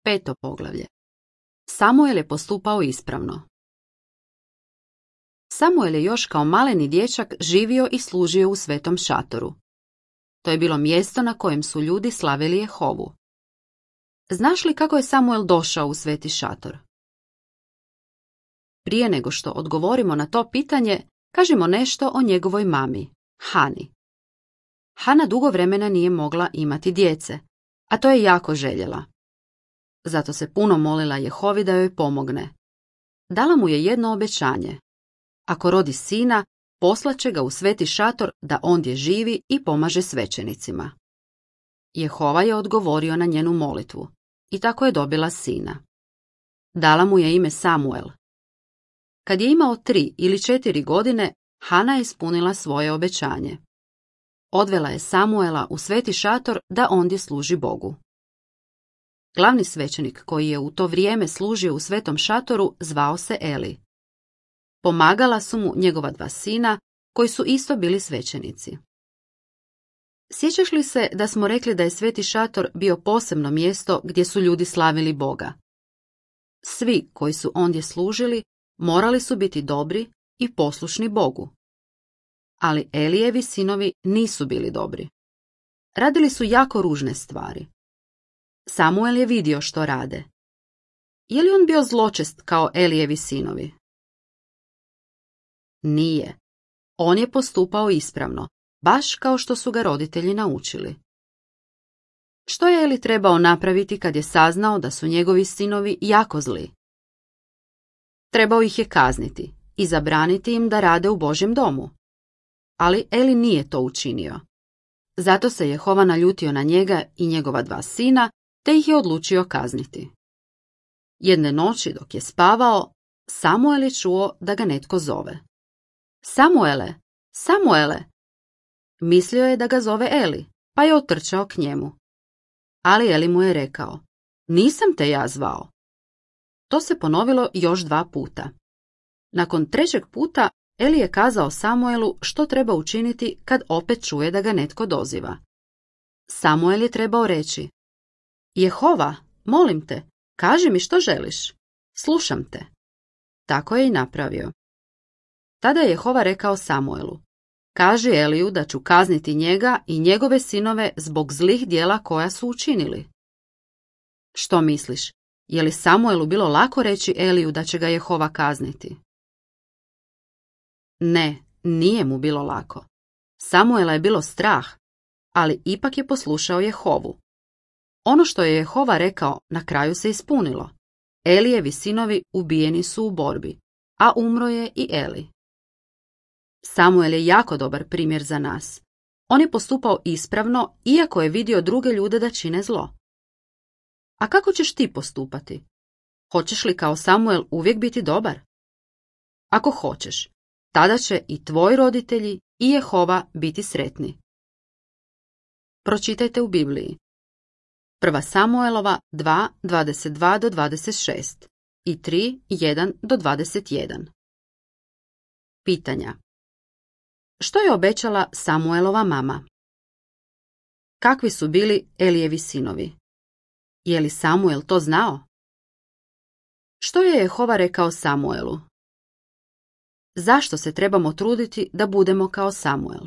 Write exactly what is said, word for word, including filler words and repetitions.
Peto poglavlje. Samuel je postupao ispravno. Samuel je još kao maleni dječak živio i služio u svetom šatoru. To je bilo mjesto na kojem su ljudi slavili Jehovu. Znaš li kako je Samuel došao u sveti šator? Prije nego što odgovorimo na to pitanje, kažimo nešto o njegovoj mami, Hani. Hana dugo vremena nije mogla imati djece, a to je jako željela. Zato se puno molila Jehovi da joj pomogne. Dala mu je jedno obećanje. Ako rodi sina, poslaće ga u sveti šator da ondje živi i pomaže svećenicima. Jehova je odgovorio na njenu molitvu i tako je dobila sina. Dala mu je ime Samuel. Kad je imao tri ili četiri godine, Hana je ispunila svoje obećanje. Odvela je Samuela u sveti šator da ondje služi Bogu. Glavni svećenik koji je u to vrijeme služio u svetom šatoru zvao se Eli. Pomagala su mu njegova dva sina, koji su isto bili svećenici. Sjećaš li se da smo rekli da je sveti šator bio posebno mjesto gdje su ljudi slavili Boga? Svi koji su ondje služili morali su biti dobri i poslušni Bogu. Ali Elijevi sinovi nisu bili dobri. Radili su jako ružne stvari. Samuel je vidio što rade. Je li on bio zločest kao Elijevi sinovi? Nije. On je postupao ispravno, baš kao što su ga roditelji naučili. Što je Eli trebao napraviti kad je saznao da su njegovi sinovi jako zli? Trebao ih je kazniti i zabraniti im da rade u Božjem domu. Ali Eli nije to učinio. Zato se Jehova naljutio na njega i njegova dva sina, te ih je odlučio kazniti. Jedne noći dok je spavao, Samuel je čuo da ga netko zove. Samuele, Samuele! Mislio je da ga zove Eli, pa je otrčao k njemu. Ali Eli mu je rekao, nisam te ja zvao. To se ponovilo još dva puta. Nakon trećeg puta Eli je kazao Samuelu što treba učiniti kad opet čuje da ga netko doziva. Samuel je trebao reći, Jehova, molim te, kaži mi što želiš. Slušam te. Tako je i napravio. Tada je Jehova rekao Samuelu, kaži Eliju da ću kazniti njega i njegove sinove zbog zlih djela koja su učinili. Što misliš, je li Samuelu bilo lako reći Eliju da će ga Jehova kazniti? Ne, nije mu bilo lako. Samuela je bilo strah, ali ipak je poslušao Jehovu. Ono što je Jehova rekao na kraju se ispunilo. Elijevi sinovi ubijeni su u borbi, a umro je i Eli. Samuel je jako dobar primjer za nas. On je postupao ispravno, iako je vidio druge ljude da čine zlo. A kako ćeš ti postupati? Hoćeš li kao Samuel uvijek biti dobar? Ako hoćeš, tada će i tvoji roditelji i Jehova biti sretni. Pročitajte u Bibliji. Prva Samuelova dva, dvadeset dva do dvadeset šest i tri, jedan do dvadeset jedan. Pitanja. Što je obećala Samuelova mama? Kakvi su bili Elijevi sinovi? Je li Samuel to znao? Što je Jehova rekao Samuelu? Zašto se trebamo truditi da budemo kao Samuel?